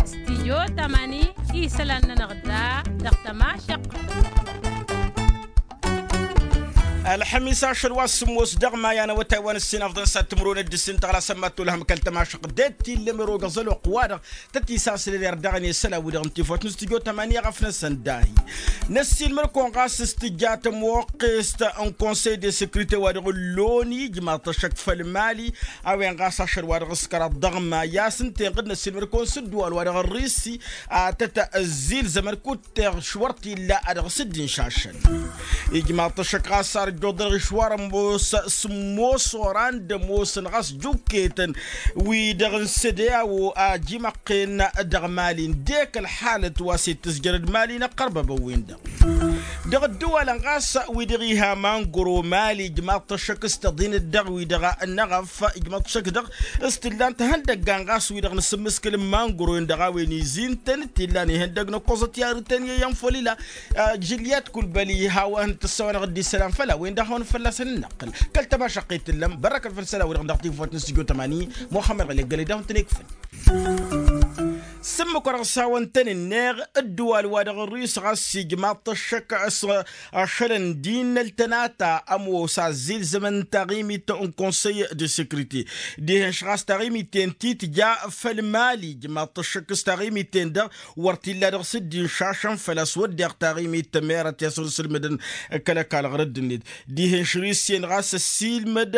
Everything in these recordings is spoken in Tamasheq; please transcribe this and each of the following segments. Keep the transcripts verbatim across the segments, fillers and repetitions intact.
Stijyo tamani isălan-nănăɣ da dăɣ-tămašăq. Ălxămis ašăl wa s-sǝmmos dăɣ-maya n-awătay wa n-ǝssin afḍăn s-ad-timǝrwen d-ǝssin tăɣla sămmat tolhăm kăl-tămašăq d-e-t tillăm erogăẓ ălwăqq-wa-dăɣ tăt-isasălăl irdaɣăn i-isălan-wi-dăɣ n-tifawt n-stijyo tamani ăɣăf-năsăn dahi. Năssiilmăr-kăwăn ɣas s-tǝjja tămoqqest n-konsăy de sekrite wa dăɣ-ǝlloni ijmaḍ-t ăššăk făll-mali. A-wen ɣas ašăl wa dăɣ-s kăraḍ dăɣ-maya s-ǝnta inɣǝd năssiilmăr-kăwăn s-ǝddǝwal wa dăɣ-ărrisi a tăt-ăzzilzămăn kud-teɣ š-wăr t-illa a dăɣ-s dd-inšašăn. Ijmaḍ-t ăššăk ɣas ar ǝjjuḍ dăɣ-išwar ămoos sǝmmos oran d-ămoosăn ɣas jukketăn wi-dăɣ n-săde a-wo a ăjimăqqen dăɣ-mali ǝndek ălxalăt wa s-e-d tǝzjărăd mali n-ăqqărbăbăn-win-dăɣ. Dăɣ-ǝddǝwalăn ɣas wi-dăɣ iha mangro mali ijmaḍ-t ăššăk s-tăḍinăt dăɣ-wi-dăɣ n-eɣăf ijmaḍ-t ăššăk dăɣ-s t-ǝllan tihăndăggan ɣas wi-dăɣ n-asǝmmǝskǝl n-mangro-in-dăɣ a-wen izin-tăn t-illan ihăndăg n-ăkkoẓăt i-arǝtăn i-iyyăn făll-ila. Jiliyat kulbăl iha wa hăn-tǝssăwănăɣ dd-isălan făll-a-wen-dăɣ hawăn-fălla-săn ǝnnăqqǝl kăl-tămašăqqet t-ǝllăm bărrăkăn făll-isălan-wi-dăɣ dăɣ-tifuwăt n-sǝjjo tămani muxămmăd ɣǝlek gălăy d-ahun-tăn-ikfăn. S-ǝmmǝk wa dăɣ-s hawăn-tăn-ǝnneɣ ǝddǝwal wa dăɣ-ărris ɣas ijmaḍ-t ăššăk s-ašălăn d-innăl tănata ămoos azzilzămăn taɣimit n-konsăy de sekrite. Dihen-š ɣas taɣimit-en ti tǝja făll-mali ijmaḍ-t ăššăk s-taɣimit-en-dăɣ wăr t-illa dăɣ-s dd-inšašăn făl-a-s wădden taɣimit tămerăt i-a-s wăr-sǝlmǝdăn kăl-ăkall ɣur-dd-net. Dihen-š risiyen ɣas ăssiilmăd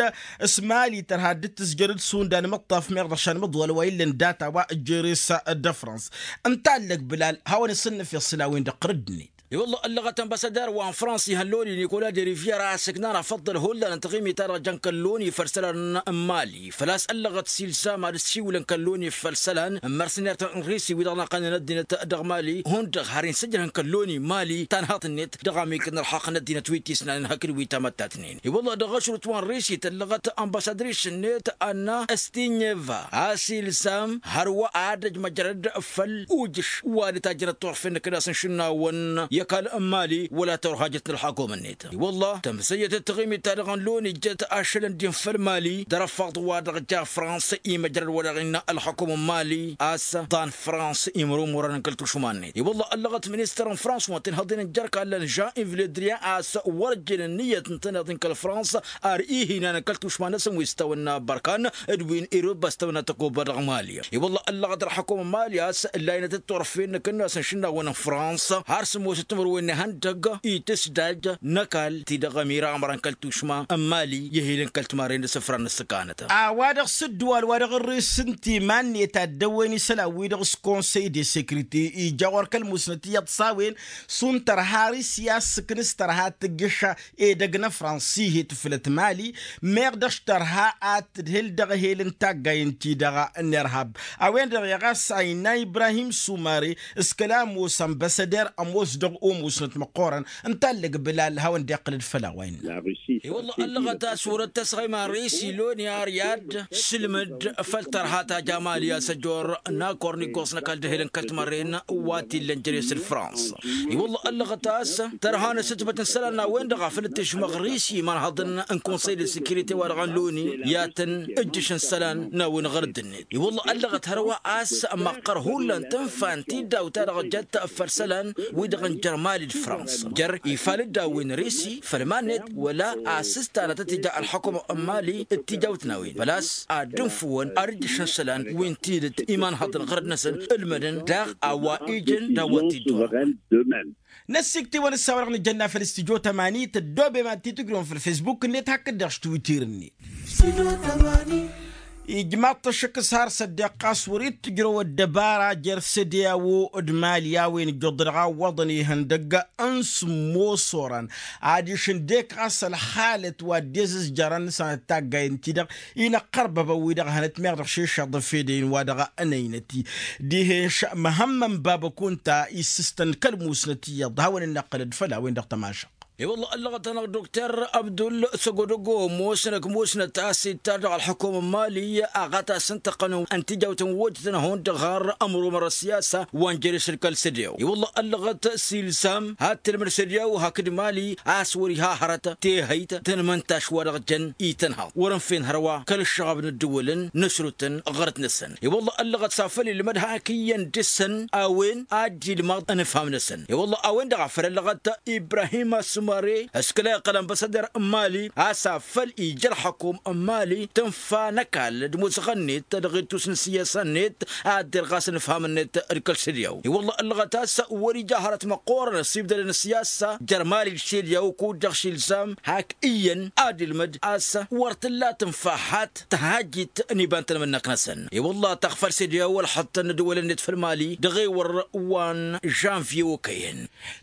s-mali tărha dd-tǝzjăr d-sundan mǝṭṭaf meɣ dăɣ-šanmǝḍwal wa illăn data wa ǝjjere-s d-ăfrans. Ǝnta allăg bǝlal hawăn-isǝnnǝf i-ăṣṣǝla-wen-dăɣ ɣur-dd-net. I-wălla ăllăɣăt ănbasăder wa n-frans ihăn loni nikola derivyer a ăssǝknan afăḍḍăl hullan n-taɣimit-ta-dăɣ jăn kăl-loni făll-isălan n-mali făl-a-s ăllăɣăt silsam ad-ăssiwǝlăn kăl-loni făll-isălan n-mărsinert n-risi wi-dăɣ n-ăqqănen ăddinăt dăɣ-mali hundăɣ har insǝjrăhăn kăl-loni mali tanhaḍt-net dăɣ-amikǝd n-ălxaqq n-ăddinăt wi t-isnanen hakd wi tamăttatnen. I-wălla dăɣ-ašrut wa n-risi tăllăɣăt ănbasădris-net anna ăstinyeva a-s ilsam hărwa ad-ăj măjrăd făll-ujǝš wa d-tajjănăt turfen n-kănas n-išǝnnawăn i-ăkall n-mali wăla tărhajăt n-ălxakum-net. I-wălla tămsăyăt d-taɣimit-ta-dăɣ n-loni ǝjjăt ašăl ǝndin făll-mali dăr-ăffaḍ wa dăɣ-ja frans imăjrăd wa dăɣ-innă ălxakum n-mali a-s ḍan frans imrumurăn n-kăl-tušma-net. I-wălla ăllăɣăt ministăr n-frans wa n-tinhăḍen n-jer-kallăn jean-iv ledrian a-s wăr ǝjjǝn ǝnniyăt n-tinhăḍen kăl-frans ar ihinan n-kăl-tušma-năsăn wi s-tawănna bărkan d-win irǝbba s-tawănna tăkoba dăɣ-mali. I-wălla ăllăɣăt ălxakum n-mali a-s layǝnăt d-turfen n-akǝnnas n-išǝnnawăn n-frans har sǝmmosăt timǝrwen n-ihăndăg itǝsdaj n-ăkall ti-dăɣ ămira ămrăn kăl-tušma n-mali i-ehilăn kăl-timarren d-asǝfra n-ǝssǝkanăt. A-wa-dăɣ s-ǝddǝwal wa dăɣ-ărrǝs ǝnta iman-net ad-dăwwen isălan-wi-dăɣ s-konsăy de sekrite ija ɣur-kăl-musnăt iyyăḍ s-a-wen šund tărha risi a-s ǝknǝs tărha tǝjjǝš edăgg n-ăfrans ihi tǝflăt mali meɣ dăɣ-s tărha ad-tǝdhǝl dăɣ-ehel n-taggay ǝnta-i-dăɣ n-irhab. A-wen-dăɣ i-ɣas ayna ibrahim sumare s-kăla ămoos ănbăsăder ămoos dăɣ-omusnăt măqqoorăn ǝnta allăg bǝlal hawăn-dd-iqqǝl d-făll-a-wa innă. I-wălla ăllăɣăt a-s wăr-dd-tăsɣăy iman risi loni ar i-ad-sǝlmǝd făll-tărha ta ja mali a-s ăjor n-akor n-iggoẓ n-ăkall d-ehel n-kăl-timărren wa t-illăn jere-s d-frans. I-wălla ăllăɣăt a-s tărha n-asǝtbăt n-isălan n-a-wen-dăɣ a făl dd-tǝžmăɣ risi imanhăḍăn n-konsăy de sekirite wa dăɣ-n loni i-ad-tăn-ǝjjǝšăn isălan n-a-wen ɣur-dd-net. I-wălla ăllăɣăt hărwa a-s măqqăr hullan tǝnfa n-tiddawt-ta-dăɣ jăt făll-isălan wi-dăɣ n-jer-mali d-frans jer-ifal dd-a-wen risi făll-iman-net wăla asǝstanăt ad-t-ija ălxukum n-mali d-tijawt n-a-wen făl-a-s ad-dd-ǝnfǝwăn ad-ǝjjǝšăn isălan wi n-tidǝt imanhăḍăn ɣărăd-năsăn ǝlmădăn daɣ a-wa ijăn d-a-wa t-dd-wăr. Năssikt'-iwăn ǝssa-wa-dăɣ nǝjănna făll-studyo tămani tăddoobem ad-t-tǝjrǝwăm făll-fesbuk-net hakd-dăɣ s-twitter-net. Ijmaḍ-t ăššăk s-har s-ăddeɣ ɣas wăr-dd-tǝjrăw ăddăbara jer-săde a-wo d-mali a-wen ǝjjuḍ-dăɣ a ǝwwăḍăn ihăndăgg n-sǝmmos orăn adiš ǝndek ɣas ălxalăt wa dd-ezǝzjărăn sănăt taggayăn-ti-dăɣ inăqqărbăbăn-wi-dăɣ hănăt meɣ dăɣ-šešăḍ ăfedăyăn wa dăɣ-ănăynăt-i. Dihen-š măhămmăn bab ăkunta issǝstăn kăl-musnăt iyyăḍ hawăn-dd-năqqǝlăd făll-a-wen-dăɣ tămašăq. I-wălla ăllăɣăt-anăɣ dokter abdul săgodăgo ămoosăn ăkmusnăt a-s ittar dăɣ-ălḥukum n-imali aɣatas n-tăqqăn n-tijawt n-wăjjătăn a hundăɣ har ămru mărăt siyasa wa n-jere-s d-kăl-sădew i-wălla ăllăɣăt s-ilsam had-tǝlmǝd sădew hakd imali a-s wăr-iha hărăt tehăyt tăn-imăntaš wa dăɣ-jăn itănhăḍ wăr-ǝnfen hărwa kăl-ǝššăɣab n-ǝddǝwǝlăn n-ăsrutăn ɣărăt-năsăn i-wălla ăllăɣăt s-afăl ilmăd hak iyyăn dăɣ-săn a-wen ad-dd-ilmăḍ ănfam-năsăn i-wălla a-wen-dăɣ a făl ăllăɣăt ibrahim ăssumare ăskăla iqqăl ănbăsăder n-imali a-s afăl ija ălxăkum n-imali tǝnfa n-ăkall d-imuzăɣăn-net dăɣ-ittus n-ǝssiyasa-net ad-dd-irɣas ănfam-net d-kăl-sădew i-wălla ăllăɣăt a-s wăr-ija hărăt măqqoorăn ăssibdădăn ǝssiyasa jer-imali d-sădew kud-dăɣ šilsam hak iyyăn ad-ilmăd a-s wăr t-tǝlla tǝnfa hat tăhajjit n-iba n-tanmǝnnăk-năsăn i-wălla taɣfăl sădew ălxăṭṭăn n-ădwălăn-net făll-imali dăɣ-ewăr wa n-žănvye okăyăn.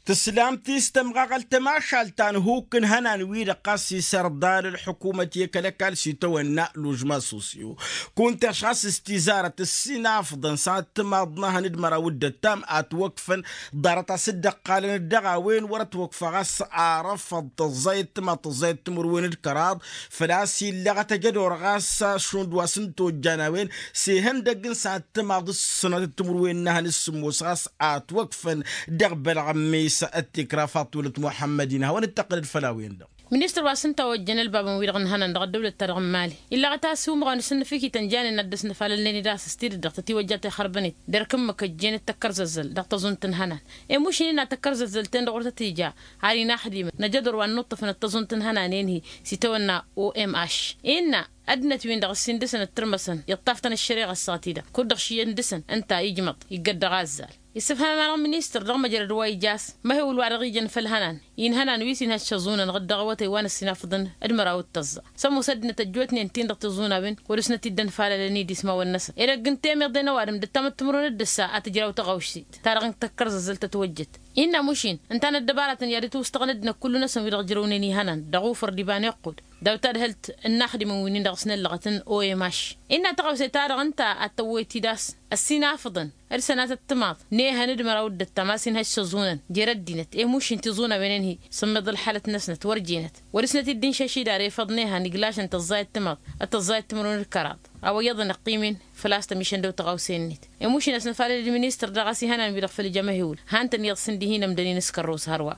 Tǝslam ti s-tămɣaɣălt tămašalt ta n-hukk n-ihănan-wi-dăɣ ɣas isărḍan ălḥukumăt i-kăl-ăkall s-itawănna lužma sosyo kunta ăšɣas s-tizarăt ǝssin afḍăn s-ad-timaḍ n-ehăn d-măraw d-ăttam ătwăkfăn ḍarăt a-s dd-ăqqalăn dăɣ-a-wen wăr-ătwăkfa ɣas arăfăḍ tăẓẓayăt timaḍ tăẓẓayăt timǝrwen d-kăraḍ făl-a-s illăɣăt ăjădor ɣas šund wa s-ǝntojjan a-wen s-ihăndăgg n-sănat timaḍ s-sănatăt timǝrwen n-ehăn s-sǝmmos ɣas ătwăkfăn dăɣ-bălɣămmis ăttikra faṭulăt muḥămmăd-in hawăn-dd-tăqqǝlăd făll-a-wen-dăɣ. Ministăr wa s-ǝnta ojjăn ălbabăn-wi-dăɣ n-ihănan dăɣ-ăddăwlăt-ta-dăɣ n-imali illăɣăt a-s umăɣăn s-ǝnnǝfǝkităn janen ad-dăr-s nǝfalălnen-dd a-s s-tidǝt dăɣ-tătiwăjja tixărbănet dăr-kǝmmǝk ăjjeen d-tăkkărzăzzăl dăɣ-tăẓunt n-ihănan i-mušin innă tăkkărzăzzăl-ten-dăɣ wăr tăt-ija har inaxdimăn n-ajădor wa n-inuṭṭăfăn d-tăẓunt n-ihănan-en-hi s-itawănna omh innă ăddinăt-win-dăɣ ǝssin dăr-săn ǝttărmăsăn iṭṭaf-tăn ăššăreɣa ăssaɣăt-i-dăɣ kud-dăɣ šiyăn dăr-săn ǝnta ijmăḍ iggăd dăɣ-azzal. Issǝfham-anăɣ ministăr dăɣ-măjrăd wa ija a-s măhewǝl wa dăɣ-ijăn făll-ihănan inhănan wi s-inhăššăẓunăn ɣǝd dăɣ-awătay wa n-ăssinafăḍăn d-măraw d-tăẓẓa sămoos ăddinăt ăjjootnen-tin-dăɣ tiẓunăwen wăr-dăsnăt-dd-ănfalălăn idismawăn-năsăn ed ăgg n-temeḍe n-ăwadǝm d-ăttamăttǝmrǝwăn d-ǝssa a tǝjraw taɣawšit ta dăɣ-tăkkărzăzzăl tătwăjjăt innă mušin ǝnta n-ăddăbaratăn i-ad-ǝtwǝstăɣăn ăddinăt kullu-năsăn wi-dăɣ ǝjrăwnen ihănan dăɣ-ufăr d-iba n-iqqud daw-tadhǝlt n-inaxdimăn wi-nin-dăɣ s-năllăɣăt n-omh innă taɣawse-ta-dăɣ ǝnta ad-tăwwăy-t-dd a-s ăssinafăḍăn d-sănatăt timaḍ n-ehăn d-măraw d-ăttam a-s inhăššăẓunăn jer-ăddinăt i-mušin tiẓunăwen-in-hi sǝmmăḍ ălxalăt-năsnăt wăr jenăt wăr-dăsnăt-dd-inšăš idar efăḍ n-ehăn iglašăn tăẓẓayăt timaḍ d-tăẓẓayăt timǝrwen d-kăraḍ a-wa iyyăḍ ănăqqim-in făl-a-s tămišăn dăw-tăɣawse-net i-mušin a-s nǝfalăd d-ministăr dăɣ-a-s ihănan-wi-dăɣ făll-ija măhewǝl han-tăn iyyăḍ s-ǝndihi n-ămdăn-in s-kărrus hărwa.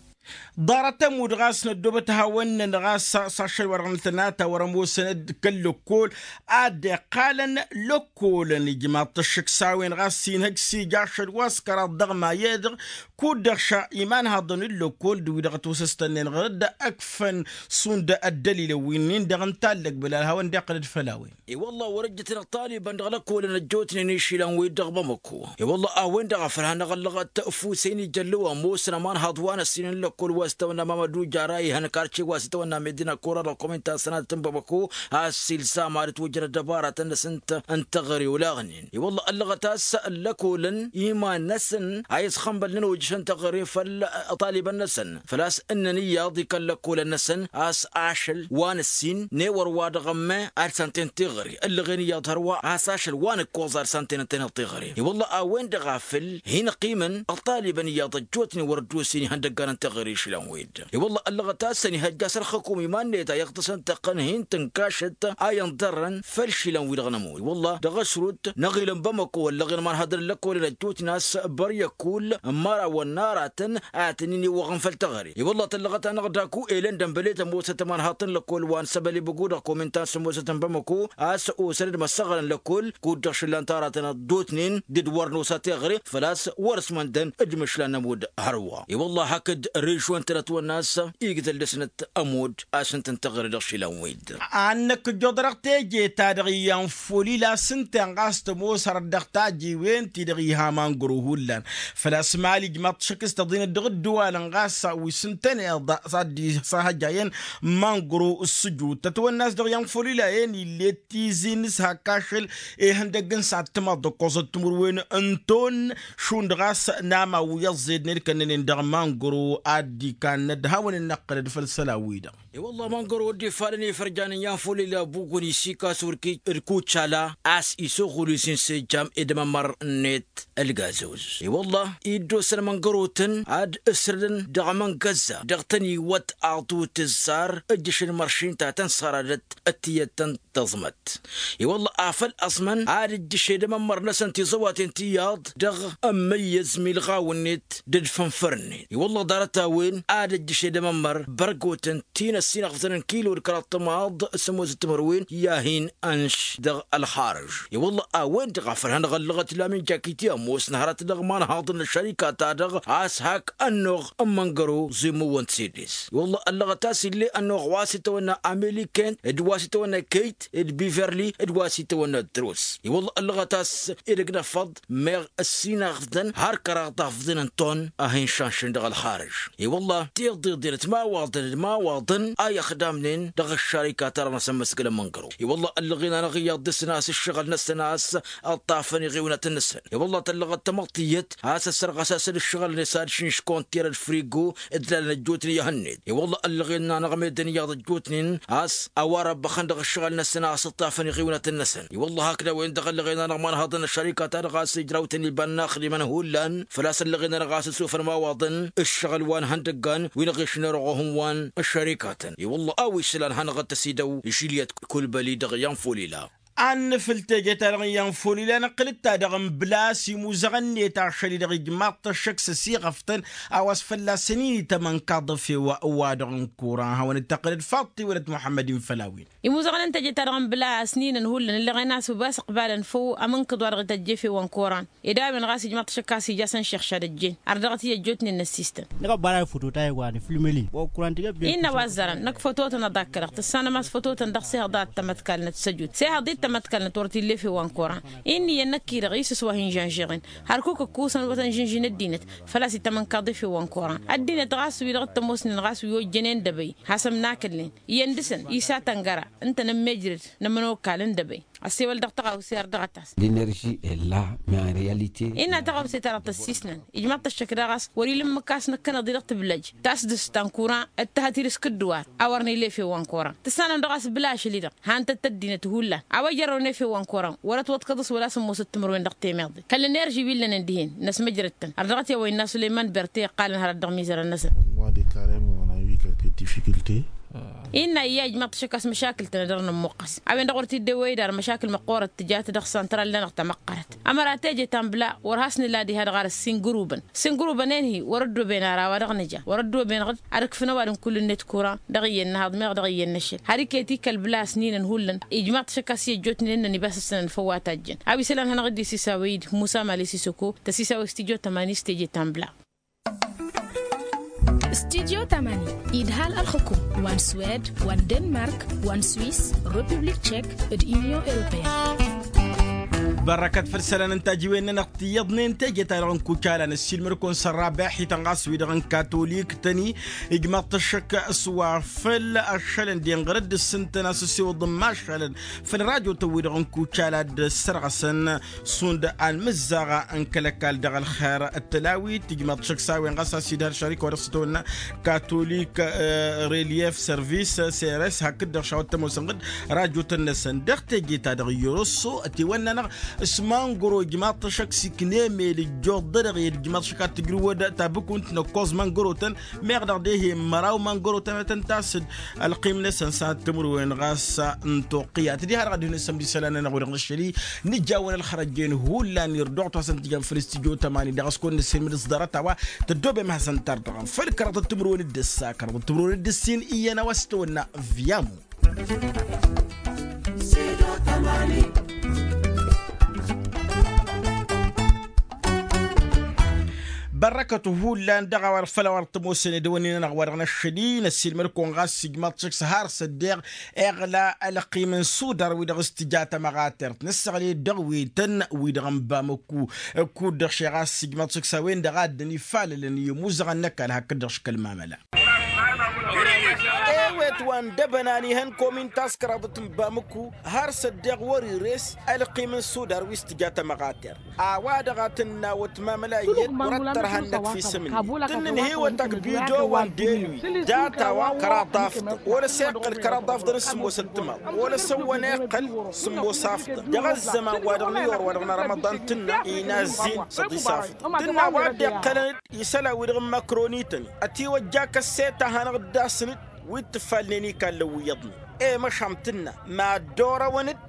Ḍarăt ămudd ɣas n-ăddoobăt hawăn-năn ɣas s-ašăl wa dăɣ-nǝtănata wăr-ămoosăn d-kăl-lăkkol ad-dd-iqqalăn lăkkolăn ijmaḍ-t ăššǝk s-a-wen ɣas s-inhăj s-ija ašăl wa s-kăraḍ dăɣ-mayedăɣ kud-dăɣ ša imanhaḍăn n-lăkkol d-wi-dăɣ ătwăsăstănnen ɣǝr-dd ăkfăn šund ăddălilăn wi-nin-dăɣ n-tallăg bălal hawăn-dd-iqqǝl d-făll-a-wen. I-wălla wăr-ǝjjǝtnăɣ taliban dăɣ-lăkkolăn ăjjootnen išilăn-wi-dd dăɣ-bamăko. I-wălla a-wen-dăɣ a făl hanăɣ-ăllăɣăt ăfusen ijăllu ămoosăn ămanhăḍ wa n-ăssin n-lăkkol wa s-itawănna mamădu jara ihăn karce wa s-itawănna medina kora dăɣ-kominta sănatăt n-bamăko a-s ilsam ad-ătwăjjăn ăddăbaratăn-năsăn n-teɣăre olaɣnen. I-wălla ăllăɣăt a-s ăllăkolăn iman-năsăn a i-ăsxănbălnen ojăšăn teɣăre făll-taliban-năsăn făl-a-s ǝnnăn iyyăḍ i-kăl-lăkkolăn-năsăn a-s ašăl wa n-ǝssin n-ewăr wa dăɣ-ămme ad-săn-ten teɣăre ǝllăɣen iyyăḍ hărwa a-s ašăl wa n-ǝkkoẓ ad-săn-ten ǝntăneḍ teɣăre. I-wălla a-wen-dăɣ a făl hin-ăqqimăn ăṭṭalibăn iyyăḍ ăjjootnen wăr-dd-osen ihăndăggan n-teɣăre išlan-wi-dd. I-wălla ăllăɣăt a-s ănihăjja a-s ălxăkum iman-net a iyyăḍ tăsăn tăqqăn hin-tǝnkăšăt a inḍărrăn făll-išlan-wi-dăɣ n-ămudd i-wălla dăɣ-ăšrut n-aɣilăn bamăko ăllăɣen imanhăḍăn n-lăkkolăn ăjjootnen a-s băryăkul n-imărawăn n-aratăn a tăn-in-iwwăɣăn făll-teɣăre. I-wălla tăllăɣăt-anăɣ daku elăndăn băle tămoosăt imanhaḍt n-lăkkol wa n-săbălibăgu dăɣ-kominta n-sămoosăt n-bamăko a-s osăn-dd măssăɣălăn lăkkol kud-dăɣ šǝllan taratăn ăddotnen dd-wăr nosa teɣăre făl-a-s wăr-ăsmăndăn d-imǝšlan n-ămudd hărwa. I-wălla hakd režion-tăn ătwănna a-s igdăl dăr-snăt ămudd a-s ǝntăn teɣăre dăɣ-išlan-wi-dd. A ănnăk ǝjjoḍărăɣ teje-ta-dăɣ iyyăn folila s-ǝnta-en ɣas tămoos hărăt dăɣ-tajiwen-ti-dăɣ iha mangăro hullan făl-a-s mali ǝjmaḍ-t šăkk s-tăḍinăt dăɣ-ǝddǝwalăn ɣas wi s-ǝntăneḍ s-ad-dd-isahăjjayăn mangăro s-sǝjut tătwănna a-s dăɣ-iyyăn folila-en ill'-e tizi n-ishak ašăl ihăndăgg n-săhat timaḍ d-ǝkkoẓăt timǝrwen n-ton šund ɣas n-amaw wi ăẓẓednen kănnănen dăɣ-mangăro. ad-dd-ikannăd hawăn-dd-năqqǝlăd făll-isălan-wi-dăɣ. I-wălla măngăro dd-ifalăn ifărjanăn i-anfulila bugun isikas wăr-ki d-kucala a-s isăɣul isin s-ejjam ed amămăr-net ălgazăwăz. I-wălla iddosăn măngărotăn ad-ǝsrǝdăn dăɣ-măngăzza dăɣ-tăn-iwwăt aḍu tǝzzar ǝjjǝšăn măršin ta tăn-săradăt d-tiyyăt tăn-tăẓmăt. I-wălla afăl ăẓmăn ad-ǝjjǝšed amămmăr-năsăn tiẓăwaten tiyyăḍ dăɣ-ămmăyyăz milɣaw-net d-dd-fănfăr-net. I-wălla ḍarăt-a-wen ad-ǝjjǝšed amămmăr bărgotăn ti n-ăssinăɣzăn n-kilo d-kăraḍ timaḍ sămoos d-timărwen i-ad-hin-ănš dăɣ-ălxarǝž. I-wălla a-wen-dăɣ a făl hanăɣ-ăllăɣăt lamin jakiti ămoosnăhărăt dăɣ-imanhaḍăn n-ăššărika-ta-dăɣ a-s hak ănnuɣ n-măngăro zemmăwăn t-sedes. I-wălla ăllăɣăt a-s ill'-e ănnuɣ wa s-itawănna ameliken d-wa s-itawănna keyt d-biverli d-wa s-itawănna drus. I-wălla ăllăɣăt a-s edăgg n-afăḍ meɣ ăssinăɣdăn har kăraḍ afḍăn n-ton a hin-šanšăn dăɣ-ălxarǝž. I-wălla tiḍeḍen d-imawaḍăn d-imawaḍăn a i-ăxdamnen dăɣ-ăššărika-ta-dăɣ n-asămmăsgăl n-măngăro. I-wălla ăllăɣen-anăɣ iyyăḍ dăr-săn a-s ǝššăɣǝl-năsăn a-s ǝṭṭafăn iɣiwnăt-năsăn. I-wălla tăllăɣăt tamăḍt tiyyăt a-s ăssărɣăs-asăn ǝššăɣǝl-net ad-šǝnš konter d-frigo d-lalăn ăjjootnen i-hănned. I-wălla ăllăɣen-anăɣ meddǝn iyyăḍ ăjjootnen a-s a-wa răbbăxăn dăɣ-ǝššăɣǝl-năsăn a-s ǝṭṭafăn iɣiwnăt-năsăn. I-wălla hakd a-wen-dăɣ ăllăɣen-anăɣ imanhaḍăn n-ăššărika-ta-dăɣ a-s ǝjrawten iba n-inaxdimăn hullan făl-a-s ăllăɣen-anăɣ a-s ǝsofăn imawaḍăn ǝššăɣǝl wa n-ihăndăggan wi n-aɣešnen ărɣohăn wa n-ăššărikatăn. I-wălla a-wa isălan hanăɣ-dd-tăsidăw žiliyăt kulbăli dăɣ-i anfulila. Ad-nǝfǝl teje-ta-dăɣ n-iyyăn făw-ila nǝqqǝl-dd ta-dăɣ n-blas imuzăɣăn-net ašăl-i-dăɣ ijmaḍ-t ăššăk s-ăsiɣăftăn a-wa s-fălla-săn-in-itămănkaḍ efew wa-dăɣ n-kuran hawăn-dd-tăqqǝlăd faḍt-i wălăt muḥămmăd-in făll-a-wen. Imuzăɣăn n-teje-ta-dăɣ n-blas ninăn hullan ǝllăɣen a-s ubas ǝqbalăn făw amǝnkǝḍ wa dăɣ-ităjj efew wa n-kuran. Ed a-wen ɣas ijmaḍ-t ašăk a-s ija a-s ănšixšad ăjjeen har dăɣ-t i-ăjjootnen n-ăssistăn. Innă wa ăzzarăn năkk fătotăn ăḍakkălăɣ tǝssanăm a-s fătotăn dăɣ-sehăḍ a t-tămătkalnăt săjut sehăḍ-i t-tămătkalnăt wăr t-illa efew wa n-koran. Innă iyyăn năkk-i-dăɣ isǝs wa hin-žănžăɣen hărkuk ǝkkusăn wăr tăn-žǝnžǝn ăddinăt. Făl-a-s itămănkaḍ efew wa n-koran ăddinăt ɣas wi-dăɣ t-ămoosnen ɣas wi ojjănen d-ebăy has-ămnakǝlnen iyyăn dăɣ-săn isatăn găra ǝntănăm mejrăd n-ămănokal n-dăbăy. Ăssewăl dăɣ-tăɣawse ar dăɣ-tas. L'inerži ella. Mea realite. Innă tăɣawse-ta-dăɣ tăssisnăn ijmaḍ-t ăššăk daɣ a-s wăr-ila ǝmmǝk a-s năkkăneḍ-i dăɣ-tǝblăj tasdǝst ta n-kuran d-tăhăt-dd s-kǝddǝwar. A wăr n-ila efew wa n-koran tǝssanăm dăɣ-a-s bǝlašăl-i-dăɣ han-tăt-tăddinăt hullan a-wa ijărrăwăn efew wa n-koran wăr-ătwăḍkăḍ s-wăla s-ămmoosăt timǝrwen dăɣ-temeḍe. Kăl-enerži wi ǝllănen dihen năsmăjrăd-tăn har dăɣ-t i-a-wa innă sulăyman berte iqqalăn hărăt dăɣ-mizărăn-năsăn. Mois de carême on a eu quelques difficultés. Innă iyyă ijmaḍ-t ašăk a-s măšakǝl-tăn ad-dăr-nămmuqqăs. A-wen-dăɣ wăr t-dd-ewăy d-ar măšakǝl măqqoorăt tǝjat dăɣ-santral-nănăɣ tamăqqărăt. Ămăra teje ta n-bla wăr has-nǝla diha-dăɣ ar ǝssin gǝrubăn. Ǝssin gǝrubăn-en-hi wăr-ăddooben ar a-wa dăɣ-nǝja wăr-ăddooben-dăɣ ad-ǝkfǝn ăwadǝm kull-net kura dăɣ-iyyăn n-ahaḍ meɣ dăɣ-iyyăn n-ašăl har iket-i kăl-bla a-s ninăn hullan. Ijmaḍ-t ašăk a-s i-ăjjootnen ǝnnăn ibas ǝssănăn făw wa tajjăn a-wa isălan hanăɣ-dd-isisa wăy-dd musa mali sisoko tăsisa wăy s-tijo tămani s-teje ta n-bla. Studyo tamani idhal ălxukum wa n-swed wa n-denmark wa n-swiss, republik tchek d-unyon europeen. Bărrăkăt făll-isălan n-tajiwen-nănăɣ tiyyăḍnen teje-ta-dăɣ n-kucala n-ăssiilmăd-kăwăn s-ărrabeḥ-ităn ɣas wi-dăɣ n-katolik-tăn-i. Ijmaḍ-t ăššăk s-wa făll-ašălăn d-inɣăr dd-ǝssǝntăn a-s ăssewăḍ n-imašalăn făll-rajotăn-wi-dăɣ n-kucala d-ăssărɣăsăn šund anmǝzzaɣ n-kăl-ăkall dăɣ-ălxer d-tălawit ijmaḍ-t ăššăk s-a-wen ɣas a-s idhăr šărik wa dăɣ-s tăwănna katolik, relief service sers hakd-dăɣ šawăt tămoosăn ɣǝd rajotăn-năsăn dăɣ-teje-ta-dăɣ i-orosso ătiwănna-năɣ s-mangoro ijmaḍ-t ăššăk s-iknemel ǝjjoḍ-dăɣ ed ijmaḍ-t ăššăk ad-tǝjrǝwăd tabukunt n-ăkkoẓ mangorotăn. Meɣ dăɣ-dehe măraw mangorotăn ad-tăn-tasǝd ălqim-năsăn s-ad-tǝmrǝwen ɣas n-toqqǝyat diha-dăɣ ad-ihǝnǝsăm d-isălan-nănăɣ wi-dăɣ n-ašăl-i. Nǝjawăn ălxărăjjen hullan irduɣ-t hasăn-t-ijăn făll-studyo tămani dăɣ-s kăwăn-nǝssin mǝdǝs ḍarăt a-wa tăddoobem hasăn-tardăɣăm făll-kăraḍăt timǝrwen d-ǝssa kăraḍăt timǝrwen d-ǝssin iyyăn a-wa s-tăwănna viyamu. Bărrăkăt hullan dăɣ-a-wa făll-a-wa dăɣ-tămoosăn edăwănnin-nănăɣ wa dăɣ-năššăl-i năssiilmăd-kăwăn ɣas ijmaḍ-t šăkk s-har s-ăddeɣ iɣla ălqim n-sudar wi-dăɣ s-tǝja tamăɣatert nǝssăɣled dăɣ-wi tăn-wi-dăɣ n-bamăkku. Kud-dăɣ šeɣ a-s ijmaḍ-t šăkk s-a-wen-dăɣ a dd-ănifalălăn i-imuzăɣăn n-ăkall hakd-dăɣ šăkk ălmamăla. Ewe wa n-dăbănan ihăn komin taskăraḍăt n-bamǝku har s-ăddeɣ wăr-ires ălqim n-sudar wi s-tǝja tămăɣater. A-wa-dăɣ a tǝnna wătmamăla iyyăt wăr-ăttărha ǝnnăk fi sǝmǝnni. Tǝnnǝnhǝywăt ăgg bido wa n-delwi data-wa kăraḍ afḍăn wăr-ăseqqăl kăraḍ afḍăn s-sǝmmos ăttămaḍ wăr-ăsăwwăn eqqăl sǝmmos afḍăn dăɣ-ăzzăman-wa-dăɣ n-iyyăr wa dăɣ-nărămăḍan tǝnna. Inazzin s-ăḍis afḍăn tǝnna wa dd-iqqălăn-dd isălan-wi-dăɣ n-măkroni-tăn ătiwăjja kăsseta a hanăɣ-dd-asnăd wi t-ǝffalnen ikallăn wi iyyăḍnen. I-măšan tǝnna mad-orăwăn-dd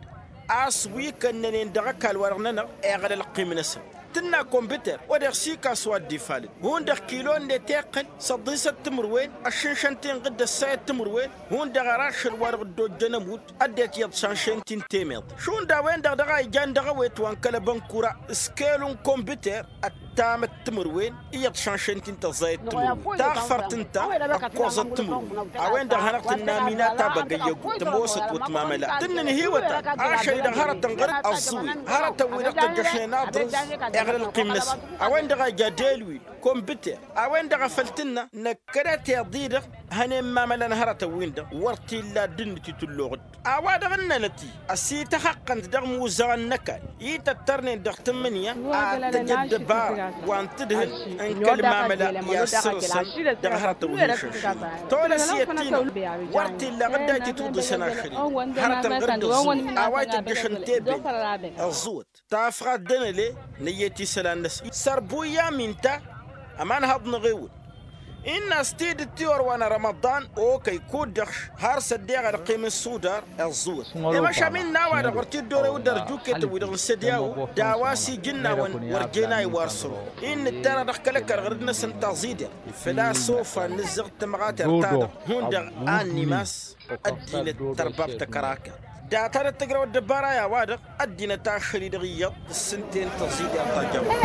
a-s wi kănnănen dăɣ-ăkall-wa-dăɣ-nănăɣ eɣăl ălqim-năsăn. Tǝnna kombiter wa deɣ s-ikas wa dd-ifalăn hundăɣ kilo-net iqqăl s-ăḍisăt timǝrwen ăššǝnšăn-t-in ɣǝddăs sayăt timǝrwen. Hundăɣ ărašăl-wa-dăɣ dd-ojjăn ămudd ăddinăt iyyăḍ šanšăyăn-t-in temeḍt šund a-wen-dăɣ dăɣ-a ijan dăɣ-ăwet wa n-kăl-ăbănkura s-kelu n-kombiter ăttamăt timǝrwen iyyăḍ šanšăyăn-t-in tăẓẓayăt timǝrwen taɣfărt ǝnta ăkkoẓăt timǝrwen. A-wen-dăɣ hanăɣ-tǝnna minata băgg ăyyăgu tămoosăt wătmamăla tǝnnǝn hiwătan ašăl-i-dăɣ hărătăn ɣăr-dd ăẓẓǝwen hărătăn-wi-dăɣ tăjjăšnen aḍrǝz. Eɣăl ălqim-năsăn a-wen-dăɣ a ija delwil kombiter a-wen-dăɣ a făl tǝnna năkkădăt iḍ-i-dăɣ. Hănen mamălan hărătăn-win-dăɣ wăr t-illa dd-ǝnnǝt itǝlluɣ-dd a-wa-dăɣ ǝnnănăt-i ăsităxăqqăn-t dăɣ-imuzăɣăn n-ăkall ităttărnen dăɣ-tǝmmǝnǝya ad-tăj ăddăbara wa n-tǝdhǝl n-kăl-mamăla i-ad-sărǝsăn dăɣ-hărătăn wi hin-šănšăynen. Tolăs iyyăt ti-năɣ wăr t-illa ɣǝdda itǝwǝḍǝsăn ašăl-i-dăɣ hărătăn ɣăr-dd ăẓẓǝwăt a-wa itǝjjăšăn tebent ăẓẓǝwăt tafɣat d-enăle. Nǝyyăt isălan-năsăn sărbuyya minta ămanhăḍ-năɣ ewǝl. Innă a-s tidǝt tiwăr wa n-rămăḍan okăy kud-dăɣ har s-ăddeɣ ălqim n-sudar. Ăẓẓǝwăt i-măšan innă a-wa-dăɣ wăr t-dd-orew d-ărjuketăn-wi-dăɣ n-sădyawo d-a-wa s-ijǝnnawăn wăr jen a iwar săro. Innă ǝttarăɣ dăɣ-kăl-ăkall ɣărăt-năsăn taẓidert făl-a-s ofan nǝzzăɣ d-tamăɣatert-ta-dăɣ hundăɣ a n-imas. Ăddinăt tărbab tăkărakert data-dăt tǝjrăw ăddăbara i-a-wa-dăɣ ăddinăt ašăl-i-dăɣ iyyăḍ. Tǝssǝnten tăẓidert ta jawăt.